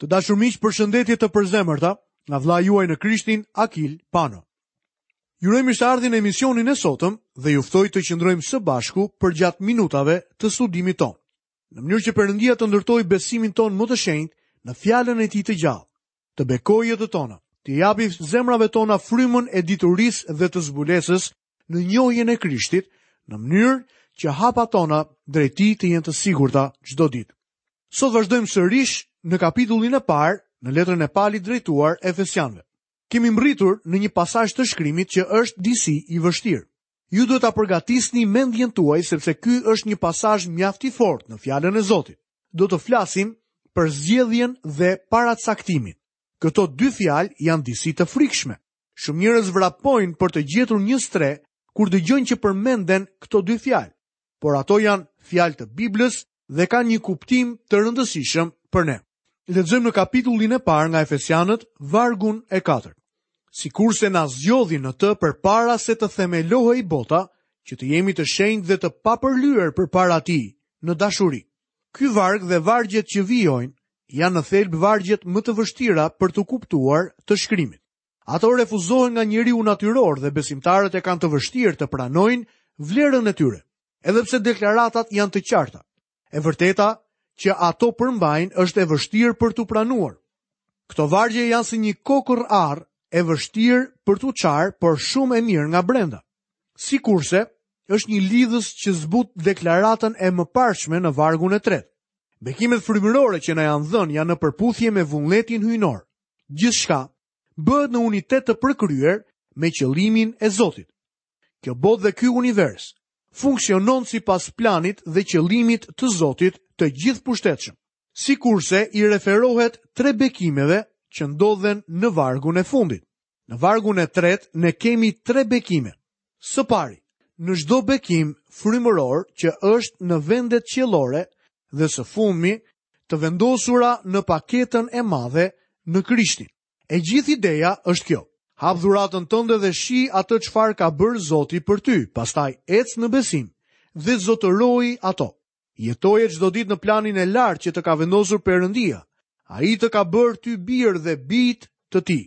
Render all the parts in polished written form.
Të dashur miq, përshëndetje të përzemërta nga vëllai juaj në Krishtin, Akil Pano. Ju uroj mirëseardhje në emisionin e sotëm dhe ju ftoj të qëndrojmë së bashku përgjatë minutave të studimit tonë. Në mënyrë që Perëndia të ndërtojë besimin tonë më të shenjtë në fjalën e tij të gjallë, të bekojë jetët tona, t'i japi zemrave tona frymën e diturisë dhe të zbulesës në njohjen e Krishtit, në mënyrë që hapat tona drejt tij të jenë të sigurta çdo ditë. Sot vazhdojmë sërish në kapitullin e parë në letrën e Palit drejtuar Efesianëve. Kemi mbërritur në një pasazh të shkrimit që është disi i vështirë. Ju duhet ta përgatisni mendjen tuaj sepse ky është një pasazh mjaft i fortë në fjalën e Zotit. Do të flasim për zgjedhjen dhe paracaktimin. Këto dy fjalë janë disi të frikshme. Shumë njerëz vrapojnë për të gjetur një strehë kur dëgjojnë që përmenden këto dy fjalë, por ato janë fjalë të Biblës dhe kanë një kuptim të rëndësishëm për ne. Lexojmë në kapitullin e parë nga Efesianët, vargun e katërt. Sikurse na zgjodhi në të përpara se të themelohej bota, që të jemi të shenjtë dhe të papërlyer përpara tij në dashuri. Ky varg dhe vargjet që vijojnë janë në thelb vargjet më të vështira për t'u kuptuar të shkrimit. Ato refuzohen nga njeriu natyror dhe besimtarët e kanë të vështirë të pranojnë vlerën e tyre. Edhe pse deklaratat janë të qarta, e vërteta që ato përmbajnë është e vështirë për t'u pranuar. Këto vargje janë si një kokërr arrë e vështirë për t'u çarë, por shumë e mirë nga brenda. Sikurse është një lidhës që zbut deklaratën e mëparshme në vargun e tretë. Bekimet frymërore që na janë dhënë janë në përputhje me vullnetin hyjnor. Gjithçka bëhet në unitet të përkryer me qëllimin e Zotit. Kjo botë dhe ky univers funksionon sipas planit dhe qëllimit të Zotit të gjithëpushtetshëm. Sikurse i referohet tre bekimeve që ndodhen në vargun e fundit. Në vargun e tretë ne kemi tre bekime. Së pari, në çdo bekim frymëror që është në vendet qiellore dhe së fundmi të vendosura në paketën e madhe në Krishtin. E gjithë ideja është kjo. Hap dhuratën tënde dhe shih atë çfarë ka bërë Zoti për ty, pastaj ec në besim dhe zotëroji ato. Jetoje çdo ditë në planin e lartë që të ka vendosur Perëndia. Ai të ka bërë ty bir dhe bijë të tij.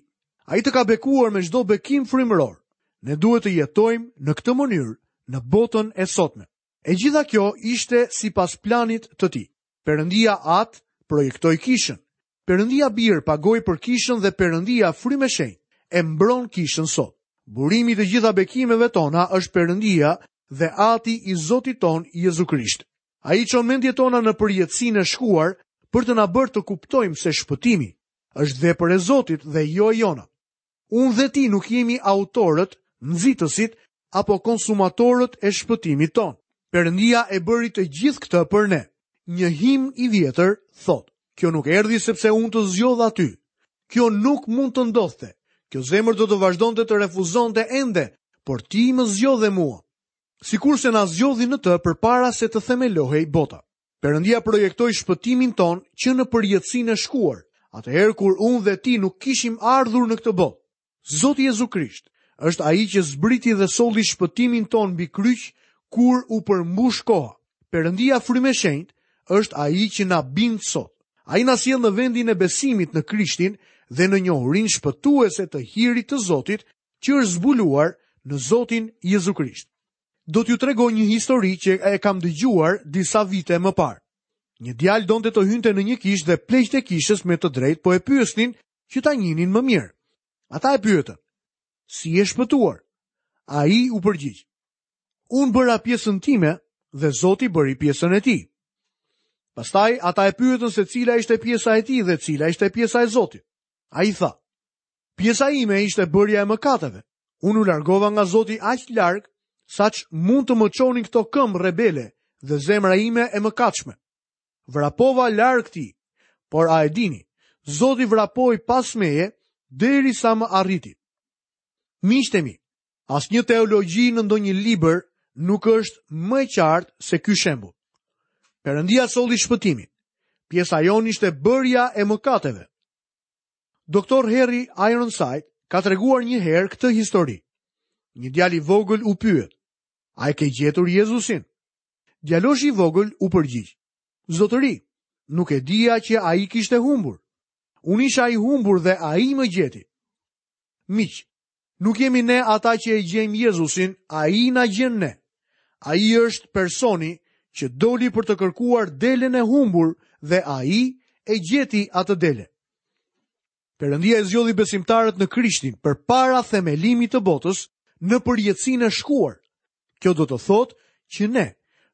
Ai të ka bekuar me çdo bekim frymëror. Ne duhet të jetojmë në këtë mënyrë në botën e sotme. E gjitha kjo ishte sipas planit të tij. Perëndia Atë projektoi kishën. Perëndia Bir pagoi për kishën dhe Perëndia Frymë e Shenjtë e mbron kishën sot. Burimi i të gjitha bekimeve tona është Perëndia dhe Ati i Zotit tonë Jezu Krisht. Ai i çon mendjet tona në përjetësinë e shkuar për të na bërë të kuptojmë se shpëtimi është vepër e Zotit dhe jo e jona. Unë dhe ti nuk jemi autorët, nxitësit apo konsumatorët e shpëtimit tonë. Perëndia e bëri të gjithë këtë për ne. Një himn i vjetër thotë, kjo nuk erdhi sepse unë të zgjodha ty. Kjo nuk mund të ndodhte. Kjo zemër do të vazhdonte të refuzonte ende, por ti më zgjodhe mua. Sikurse na zgjodhi në të përpara se të themelohej bota. Perëndia projektoi shpëtimin tonë që në përjetësinë e shkuar, atëherë kur unë dhe ti nuk kishim ardhur në këtë botë. Zoti Jezu Krisht është ai që zbriti dhe solli shpëtimin tonë mbi kryq kur u përmbush koha. Perëndia Frymë e Shenjtë është ai që na bind sot. Ai na sjell në vendin e besimit në Krishtin dhe në njohurinë shpëtuese të hirit të Zotit që është zbuluar në Zotin Jezu Krisht. Do t'ju tregoj një histori që e kam dëgjuar disa vite më parë. Një djalë donte të hynte në një kishë dhe pleqtë e kishës me të drejtë po e pyesnin që ta njihnin më mirë. Ata e pyetën, si je shpëtuar? Ai u përgjigj, unë bëra pjesën time dhe Zoti bëri pjesën e tij. Pastaj ata e pyetën se cila ishte pjesa e tij dhe cila ishte pjesa e Zotit. Ai tha, pjesa ime ishte bërja e mëkateve. Unë u largova nga Zoti aq larg, saç mund të më çonin këto këmbë rebele dhe zemra ime e mëkatshme. Vrapova larg tij, por a e dini, Zoti vrapoi pas meje derisa më arriti. Miqtë e mi, asnjë teologji në ndonjë libër nuk është më e qartë se ky shembull. Perëndia solli shpëtimin. Pjesa jonë ishte bërja e mëkateve. Doktor Harry Ironside ka treguar një herë këtë histori. Një djalë i vogël u pyet: "A e ke gjetur Jezusin?" Djaloshi i vogël u përgjigj: "Zotëri, nuk e dija që ai kishte humbur." Unë isha i humbur dhe ai më gjeti. Miq, nuk jemi ne ata që e gjejmë Jezusin, ai na gjen ne. Ai është personi që doli për të kërkuar delen e humbur dhe ai e gjeti atë dele. Perëndia i zgjodhi besimtarët në Krishtin përpara themelimit të botës në përjetësinë e shkuar. Kjo do të thotë që ne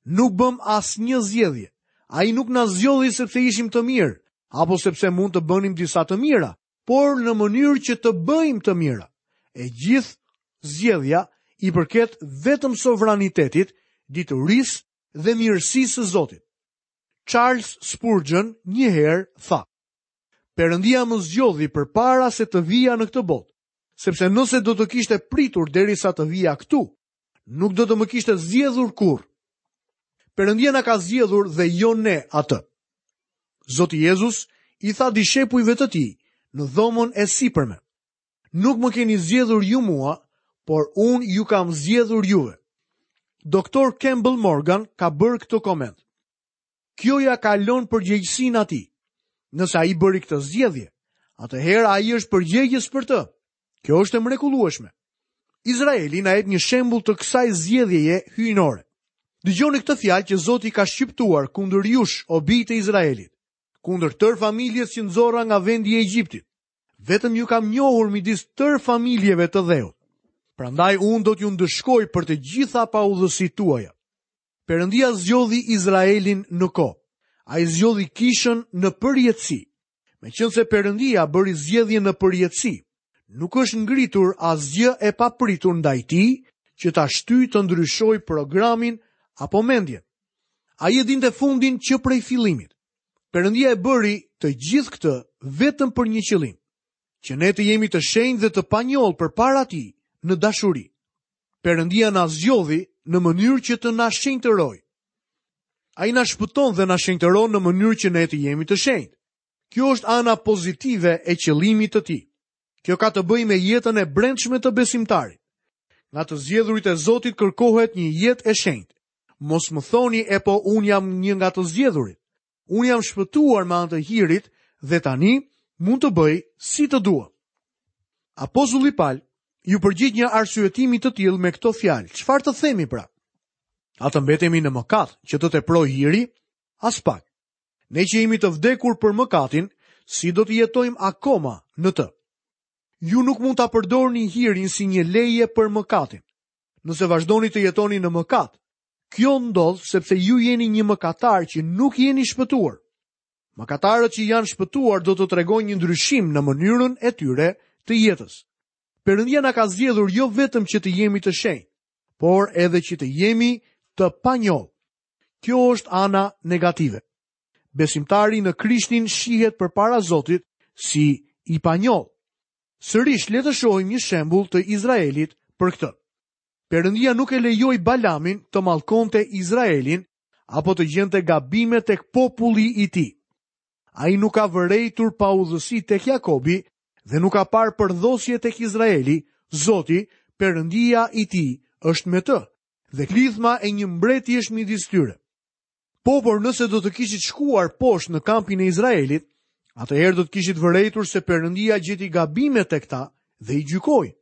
nuk bëmë asnjë zgjedhje. Ai nuk na zgjodhi sepse ishim të mirë, apo sepse mund të bënim disa të mira, por në mënyrë që të bëjmë të mira. E gjithë zgjedhja i përket vetëm sovranitetit, diturisë dhe mirësisë së Zotit. Charles Spurgeon një herë tha: Perëndia më zgjodhi përpara se të vija në këtë botë, sepse nëse do të kishte pritur derisa të vija këtu, nuk do të më kishte zgjedhur kurrë. Perëndia na ka zgjedhur dhe jo ne atë. Zoti Jezus i tha dishepujve të tij në dhomën e sipërme. Nuk më keni zgjedhur ju mua, por unë ju kam zgjedhur juve. Doktor Campbell Morgan ka bërë këtë koment. Kjo ia kalon përgjegjësinë atij. Nëse ai bëri këtë zgjedhje, atëherë ai është përgjegjës për të. Kjo është e mrekullueshme. Izraeli na jep një shembull të kësaj zgjedhjeje hyjnore. Dëgjoni këtë fjalë që Zoti ka shqiptuar kundër jush, o bij të Izraelit, kundër tërë familjes që nxora nga vendi i Egjiptit. Vetëm ju kam njohur midis tërë familjeve të dheut. Prandaj unë do t'ju ndëshkoj për të gjitha paudhësitë tuaja. Perëndia zgjodhi Izraelin në kohë. Ai zgjodhi kishën në përjetësi. Meqenëse Perëndia bëri zgjedhjen në përjetësi, nuk është ngritur asgjë e papritur ndaj tij që ta shtyjë të ndryshojë programin apo mendjen. Ai e dinte fundin që prej fillimit. Perëndia e bëri të gjithë këtë vetëm për një qëllim, që ne të jemi të shenjtë dhe të panjollë përpara tij në dashuri. Perëndia na zgjodhi në mënyrë që të na shenjtërojë. Ai na shpëton dhe na shenjtëron në mënyrë që ne të jemi të shenjtë. Kjo është ana pozitive e qëllimit të tij. Kjo ka të bëjë me jetën e brendshme të besimtarit. Nga të zgjedhurit e Zotit kërkohet një jetë e shenjtë. Mos më thoni e po unë jam një nga të zgjedhurit. Unë jam shpëtuar me anë të hirit dhe tani mund të bëj si të dua. Apostulli Pal iu përgjigj një arsyetimi të tillë me këto fjalë. Çfarë të themi pra? A të mbetemi në mëkat që të teprojë hiri? Aspak. Ne që jemi të vdekur për mëkatin, si do të jetojmë akoma në të? Ju nuk mund ta përdorni hirin si një leje për mëkatin. Nëse vazhdoni të jetoni në mëkat, Kjo ndodh sepse ju jeni një mëkatar që nuk jeni shpëtuar. Mëkatarët që janë shpëtuar do të tregojnë një ndryshim në mënyrën e tyre të jetës. Perëndia na ka zgjedhur jo vetëm që të jemi të shenjtë, por edhe që të jemi të panjollë. Kjo është ana negative. Besimtari në Krishtin shihet përpara Zotit si i panjollë. Sërish le të shohim një shembull të Izraelit për këtë. Perëndia nuk e lejoi Balamin të mallkonte Izraelin apo të gjente gabime tek populli i tij. Ai nuk ka vërejtur paudhësi tek Jakobi dhe nuk ka parë përdhosje tek Izraeli, Zoti, Perëndia i tij, është me të dhe klithma e një mbreti është midis tyre. Po, por nëse do të kishit shkuar poshtë në kampin e Izraelit, atëherë do të kishit vërejtur se Perëndia gjeti gabime tek ta dhe i gjykoi.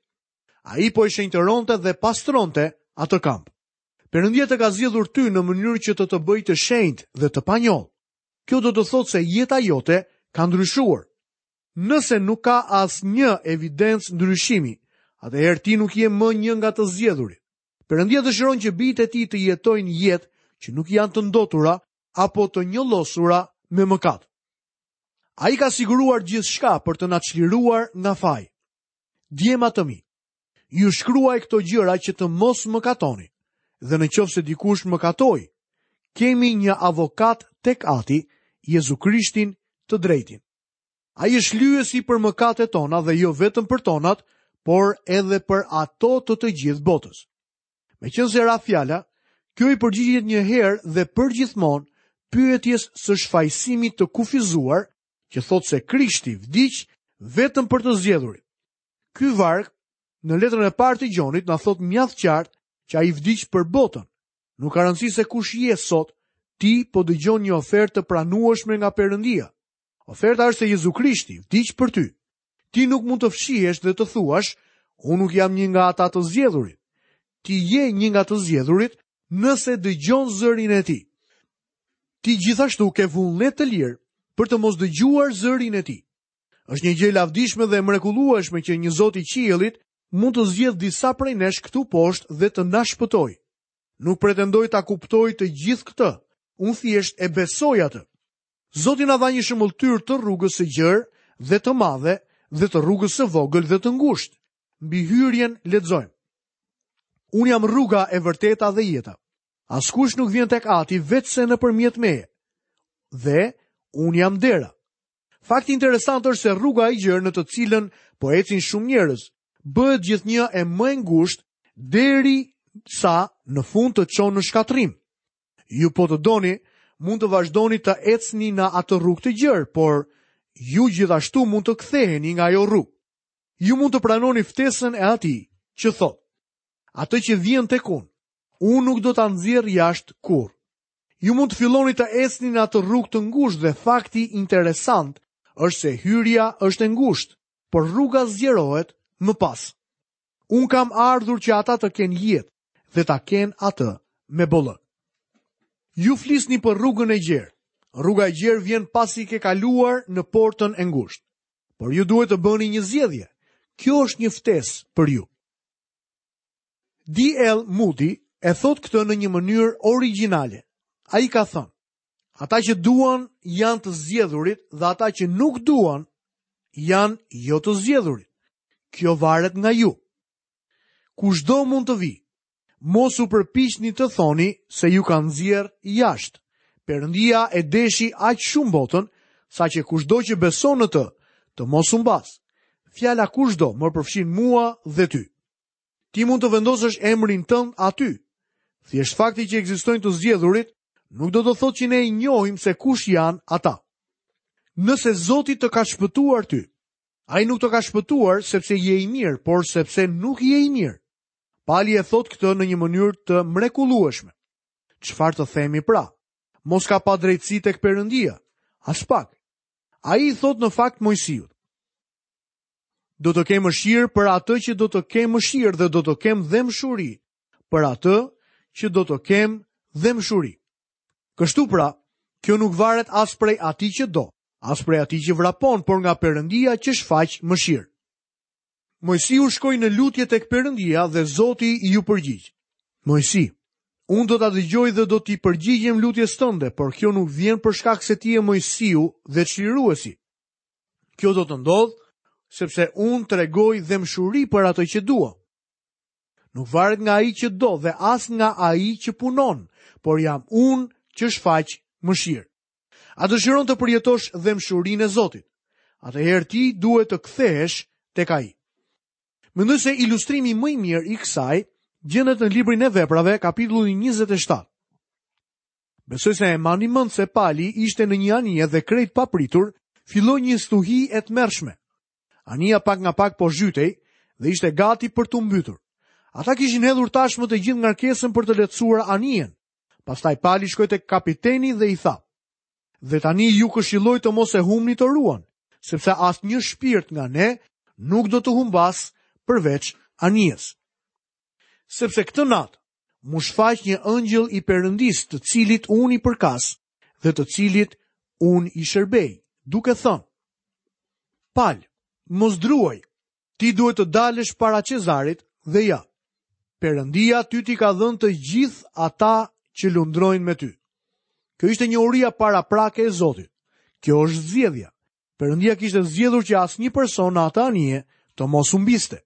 Ai po e shenjtëronte dhe pastronte atë kamp. Perëndia të ka zgjedhur ty në mënyrë që të të bëjë të shenjtë dhe të panjollë. Kjo do të thotë se jeta jote ka ndryshuar. Nëse nuk ka asnjë evidencë ndryshimi, atëherë ti nuk je më një nga të zgjedhurit. Perëndia dëshiron që bijtë e tij të jetojnë jetë që nuk janë të ndotura apo të njollosura me mëkat. Ai ka siguruar gjithçka për të na çliruar nga faji. Djema të mi, ju shkruaj këto gjëra që të mos mëkatoni. Dhe në qoftë se dikush mëkatoi, kemi një avokat tek Ati, Jezu Krishtin të drejtin. Ai është shlyesi për mëkatet tona dhe jo vetëm për tonat, por edhe për ato të të gjithë botës. Meqenëse ra fjala, kjo i përgjigjet një herë dhe përgjithmonë pyetjes së shfajësimit të kufizuar që thotë se Krishti vdiq vetëm për të zgjedhurit. Ky varg në letrën e parë të Gjonit na thotë mjaft qartë që ai vdiq për botën. Nuk ka rëndësi se kush je sot, ti po dëgjon një ofertë të pranueshme nga Perëndia. Oferta është se Jezu Krishti vdiq për ty. Ti nuk mund të fshihesh dhe të thuash, unë nuk jam një nga ata të zgjedhurit. Ti je një nga të zgjedhurit nëse dëgjon zërin e tij. Ti gjithashtu ke vullnet të lirë për të mos dëgjuar zërin e tij. Është një gjë e lavdishme dhe e mrekullueshme që një Zot i qiellit mund të zgjedhë disa prej nesh këtu poshtë dhe të na shpëtojë. Nuk pretendoj ta kuptoj të gjithë këtë, unë thjesht e besoj atë. Zoti na dha një shëmbëlltyrë të rrugës së gjerë dhe të madhe dhe të rrugës së vogël dhe të ngushtë. Mbi hyrjen lexojmë. Unë jam rruga e vërteta dhe jeta. Askush nuk vjen tek Ati veçse nëpërmjet meje. Dhe unë jam dera. Fakti interesant është se rruga e gjerë në të cilën po ecin shumë njerëz, bëhet gjithnjë e më e ngushtë derisa në fund të çon në shkatërrim. Ju po të doni, mund të vazhdoni të ecni në atë rrugë të gjerë, por ju gjithashtu mund të ktheheni nga ajo rrugë. Ju mund të pranoni ftesën e atij që thotë: Atë që vjen tek unë, unë nuk do ta nxjerr jashtë kurrë. Ju mund të filloni të ecni në atë rrugë të ngushtë dhe fakti interesant është se hyrja është e ngushtë, por rruga zgjerohet më pas. Unë kam ardhur që ata të kenë jetë dhe ta kenë atë me bollëk. Ju flisni për rrugën e gjerë. Rruga e gjerë vjen pasi ke kaluar në portën e ngushtë. Por ju duhet të bëni një zgjedhje. Kjo është një ftesë për ju. D.L. Moody e thotë këtë në një mënyrë origjinale. Ai ka thënë, ata që duan janë të zgjedhurit dhe ata që nuk duan janë jo të zgjedhurit. Kjo varet nga ju. Kushdo mund të vijë. Mos u përpiqni të thoni se ju kanë nxjerrë jashtë. Perëndia e deshi aq shumë botën, saqë kushdo që beson në të, të mos humbasë. Fjala kushdo më përfshin mua dhe ty. Ti mund të vendosësh emrin tënd aty. Thjesht fakti që ekzistojnë të zgjedhurit nuk do të thotë që ne i njohim se kush janë ata. Nëse Zoti të ka shpëtuar ty, ai nuk të ka shpëtuar sepse je i mirë, por sepse nuk je i mirë. Pali e thotë këtë në një mënyrë të mrekullueshme. Çfarë të themi pra? Mos ka padrejtësi tek Perëndia? Aspak. Ai i thotë në fakt Moisiut. Do të kem mëshirë për atë që do të kem mëshirë dhe do të kem dhembshuri për atë që do të kem dhembshuri. Kështu pra, kjo nuk varet as prej atij që do, as prej atij që vrapon, por nga Perëndia që shfaq mëshirë. Moisiu shkoi në lutje tek Perëndia dhe Zoti iu përgjigj. Moisi, unë do ta dëgjoj dhe do t'i përgjigjem lutjes tënde, por kjo nuk vjen për shkak se ti je Moisiu dhe çliruesi. Kjo do të ndodhë sepse unë tregoj dhembshuri për atë që dua. Nuk varet nga ai që do dhe as nga ai që punon, por jam unë që shfaq mëshirë. A dëshiron të përjetosh dhembshurinë e Zotit? Atëherë ti duhet të kthehesh tek ai. Mendoj se ilustrimi më i mirë i kësaj gjendet në librin e Veprave, kapitulli 27. Besoj se e mbani mend se Pali ishte në një anije dhe krejt papritur filloi një stuhi e tmerrshme. Anija pak nga pak po zhytej dhe ishte gati për t'u mbytur. Ata kishin hedhur tashmë të gjithë ngarkesën për të lehtësuar anijen. Pastaj Pali shkoi tek kapiteni dhe i tha: "Dhe tani ju këshilloj të mos e humbni toruan, sepse asnjë shpirt nga ne nuk do të humbasë përveç anijes." Sepse këtë natë m'u shfaq një engjëll i Perëndisë, të cilit unë i përkas dhe të cilit unë i shërbej, duke thënë: Pal, mos druaj, ti duhet të dalësh para Cezarit dhe ja. Perëndia ty t'i ka dhënë të gjithë ata që lundrojnë me ty. Kjo ishte njohuria paraprake e Zotit. Kjo është zgjedhja. Perëndia kishte zgjedhur që asnjë person në atë anije të mos humbiste.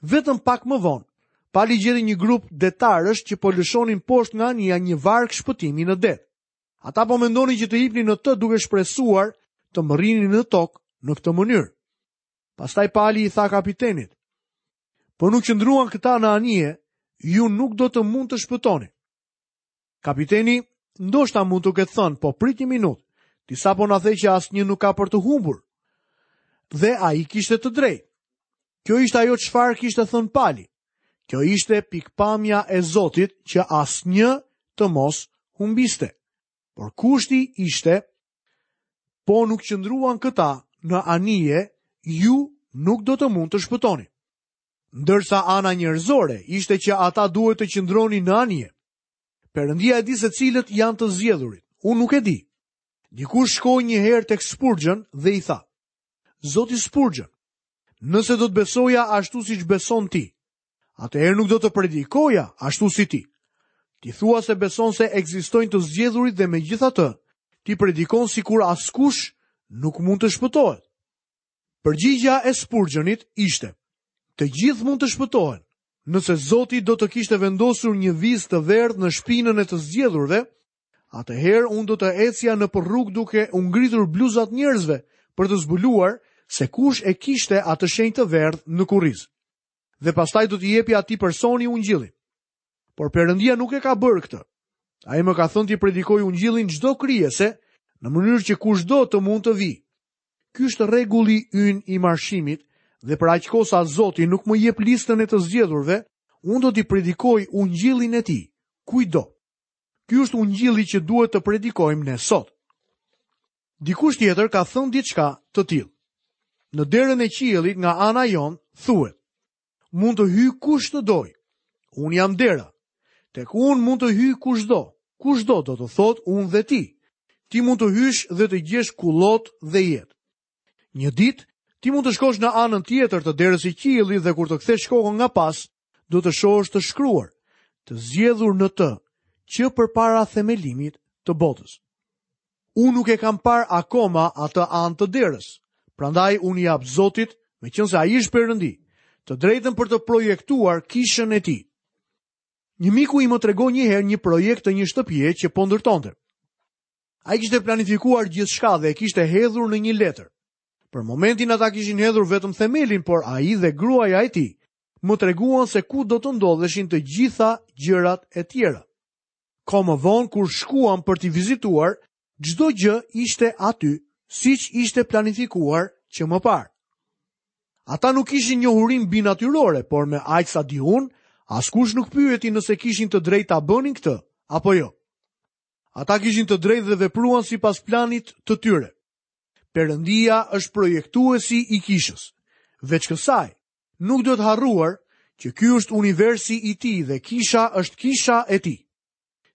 Vetëm pak më vonë, Pali gjeti një grup detarësh që po lëshonin poshtë nga anija një varkë shpëtimi në det. Ata po mendonin që të hipnin në të duke shpresuar të mbërrinin në tokë në këtë mënyrë. Pastaj Pali i tha kapitenit: Po nuk qëndruan këta në anije, ju nuk do të mund të shpëtoni. Kapiteni ndoshta mund të ketë thënë, po prit një minutë, ti sapo na the që asnjë nuk ka për të humbur. Dhe ai kishte të drejtë. Kjo ishte ajo çfarë kishte thënë Pali. Kjo ishte pikëpamja e Zotit që asnjë të mos humbiste. Por kushti ishte. Po nuk qëndruan këta në anije, ju nuk do të mund të shpëtoni. Ndërsa ana njerëzore ishte që ata duhet të qëndronin në anije. Perëndia e di se cilët janë të zgjedhurit. Unë nuk e di. Dikush shkoi një herë tek Spurgeon dhe i tha: Zoti Spurgeon, nëse do të besoja ashtu siç beson ti, atëherë nuk do të predikoja ashtu si ti. Ti thua se beson se ekzistojnë të zgjedhurit dhe megjithatë, ti predikon sikur askush nuk mund të shpëtohet. Përgjigja e Spurgeonit ishte: Të gjithë mund të shpëtohen. Nëse Zoti do të kishte vendosur një vizë të verdhë në shpinën e të zgjedhurve, atëherë unë do të ecja nëpër rrugë duke u ngritur bluzat njerëzve për të zbuluar se kush e kishte atë shenjë të verdhë në kurriz. Dhe pastaj do t'i jepja atij personi ungjillin. Por Perëndia nuk e ka bërë këtë. Ai më ka thënë t'i predikoj ungjillin çdo krijese në mënyrë që kushdo të mund të vijë. Ky është rregulli ynë i marshimit dhe për aq kohë sa Zoti nuk më jep listën e të zgjedhurve, unë do t'i predikoj ungjillin e tij, kujtdo. Ky është ungjilli që duhet të predikojmë ne sot. Dikush tjetër ka thënë diçka të tillë. Në derën e qiellit nga ana jonë thuhet: Mund të hyjë kush të dojë. Unë jam dera. Tek unë mund të hyjë kushdo. Kushdo do të thotë unë dhe ti. Ti mund të hysh dhe të gjesh kullotë dhe jetë. Një ditë, ti mund të shkosh në anën tjetër të derës së qiellit dhe kur të kthesh kokën nga pas, do të shohësh të shkruar, të zgjedhur në të, që përpara themelimit të botës. Unë nuk e kam parë akoma atë anë të derës. Prandaj unë i jap Zotit, meqenëse ai është Perëndi, të drejtën për të projektuar kishën e tij. Një miku im më tregoi një herë një projekt të një shtëpie që po ndërtonte. Ai kishte planifikuar gjithçka dhe e kishte hedhur në një letër. Për momentin ata kishin hedhur vetëm themelin, por ai dhe gruaja e tij më treguan se ku do të ndodheshin të gjitha gjërat e tjera. Kohë më vonë kur shkuam për t'i vizituar, çdo gjë ishte aty, siç ishte planifikuar që më parë. Ata nuk kishin njohuri mbinatyrore, por me aq sa di unë, askush nuk pyeti nëse kishin të drejtë ta bënin këtë apo jo. Ata kishin të drejtë dhe vepruan sipas planit të tyre. Perëndia është projektuesi i kishës. Veç kësaj, Nuk duhet harruar që ky është universi i tij dhe kisha është kisha e tij.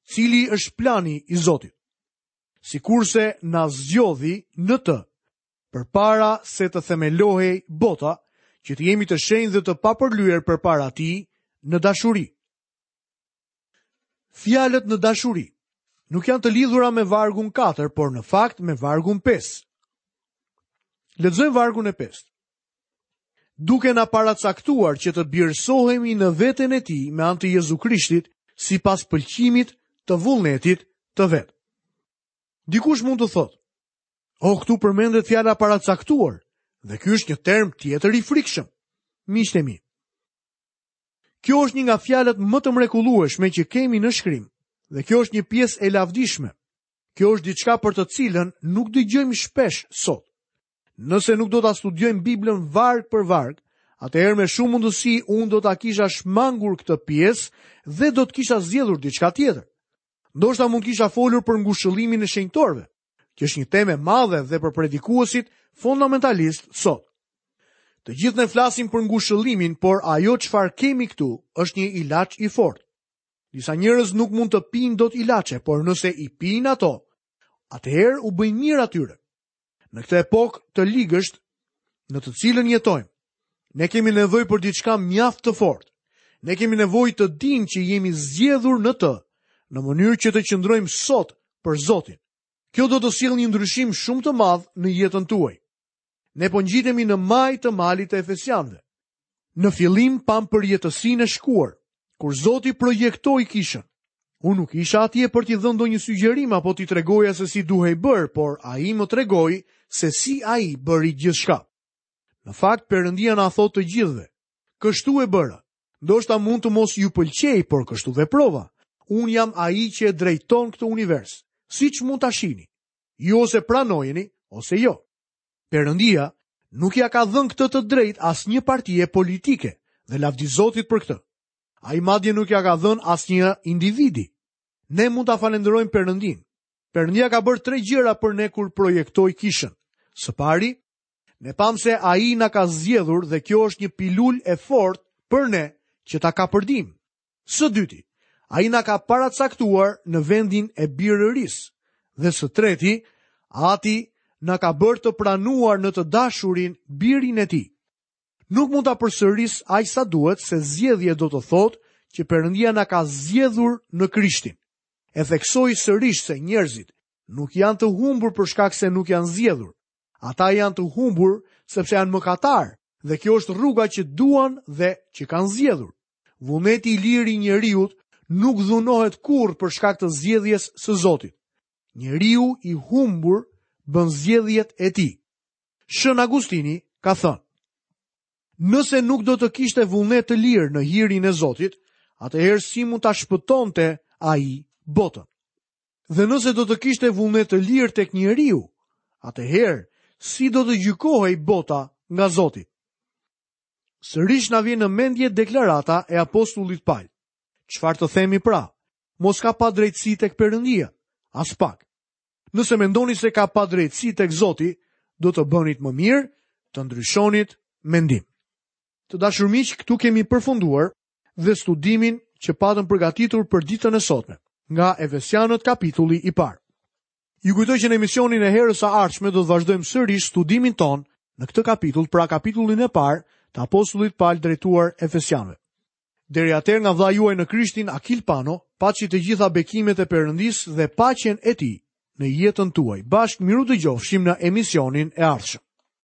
Cili është plani i Zotit? Sikurse na zgjodhi në të, përpara se të themelohej bota, që të jemi të shenjtë dhe të papërlyer përpara tij në dashuri. Fjalët në dashuri nuk janë të lidhura me vargun 4, por në fakt me vargun 5. Lexojmë vargun e 5. Duke na paracaktuar që të birësohemi në veten e tij me anë të Jezu Krishtit, sipas pëlqimit të vullnetit të vet. Dikush mund të thotë, "O, këtu përmendet fjala paracaktuar, dhe ky është një term tjetër i frikshëm." Miqtë e mi, Kjo është një nga fjalët më të mrekullueshme që kemi në shkrim, dhe kjo është një pjesë e lavdishme. Kjo është diçka për të cilën nuk dëgjojmë shpesh sot. Nëse nuk do ta studiojmë Biblën varg për varg, atëherë me shumë mundësi unë do ta kisha shmangur këtë pjesë dhe do të kisha zgjedhur diçka tjetër. Ndoshta mund të kisha folur për ngushëllimin e shenjtorëve, që është një temë e madhe dhe për predikuesit fundamentalistë sot. Të gjithë ne flasim për ngushëllimin, por ajo çfarë kemi këtu është një ilaç i fortë. Disa njerëz nuk mund të pinë dot ilaçe, por nëse i pinë ato, atëherë u bëjnë mirë atyre. Në këtë epokë të ligësht në të cilën jetojmë, ne kemi nevojë për diçka mjaft të fortë. Ne kemi nevojë të dimë që jemi zgjedhur në të, në mënyrë që të qëndrojmë sot për Zotin. Kjo do të sjellë një ndryshim shumë të madh në jetën tuaj. Ne po ngjitemi në majë të malit të Efesianëve. Në fillim pamë përjetësinë e shkuar, kur Zoti projektoi kishën. Unë nuk isha atje për t'i dhënë ndonjë sugjerim apo t'i tregoja se si duhej bërë, por ai më tregoi se si ai bëri gjithçka. Në fakt, Perëndia na thotë të gjithëve, kështu e bëra. Ndoshta mund të mos ju pëlqejë, por kështu veprova. Unë jam ai që e drejton këtë univers, siç mund ta shihni. Ju ose pranojeni, ose jo. Perëndia nuk ia ka dhënë këtë të drejtë asnjë partie politike dhe lavdi Zotit për këtë. Ai madje nuk ia ka dhënë asnjë individi. Ne mund ta falënderojmë Perëndinë. Perëndia ka bërë tre gjëra për ne kur projektoi kishën. Së pari, ne pamë se ai na ka zgjedhur dhe kjo është një pilulë e fortë për ne që ta kapërdim. Së dyti, ai na ka paracaktuar në vendin e birërisë. Dhe së treti, Ati na ka bërë të pranuar në të dashurin birin e tij. Nuk mund ta përsëris aq sa duhet se zgjedhje do të thotë që Perëndia na ka zgjedhur në Krishtin. E theksoj sërish se njerëzit nuk janë të humbur për shkak se nuk janë zgjedhur. Ata janë të humbur sepse janë mëkatarë dhe kjo është rruga që duan dhe që kanë zgjedhur. Vullneti i lirë i njeriut nuk dhunohet kurrë për shkak të zgjedhjes së Zotit. Njeriu i humbur bën zgjedhjet e tij. Shën Agustini ka thënë: Nëse nuk do të kishte vullnet të lirë në hirin e Zotit, atëherë si mund ta shpëtonte ai botën? Dhe nëse do të kishte vullnet të lirë tek njeriu, atëherë si do të gjykohej bota nga Zoti? Sërish na vjen në mendje deklarata e apostullit Pal. Çfarë të themi pra? Mos ka padrejtësi tek Perëndia? Aspak. Nëse mendoni se ka padrejtësi tek Zoti, do të bënit më mirë të ndryshonit mendim. Të dashur miq, këtu kemi përfunduar dhe studimin që patëm përgatitur për ditën e sotme, nga Efesianët kapitulli i parë. Ju kujtoj që në emisionin e herës së ardhshme do të vazhdojmë sërish studimin tonë në këtë kapitull, pra kapitullin e parë të apostullit Pal drejtuar Efesianëve. Deri atëherë nga vëllai juaj në Krishtin Akil Pano, paçi të gjitha bekimet e Perëndisë dhe paqen e tij në jetën tuaj. Bashkë mirudëgjofshim në emisionin e ardhshëm.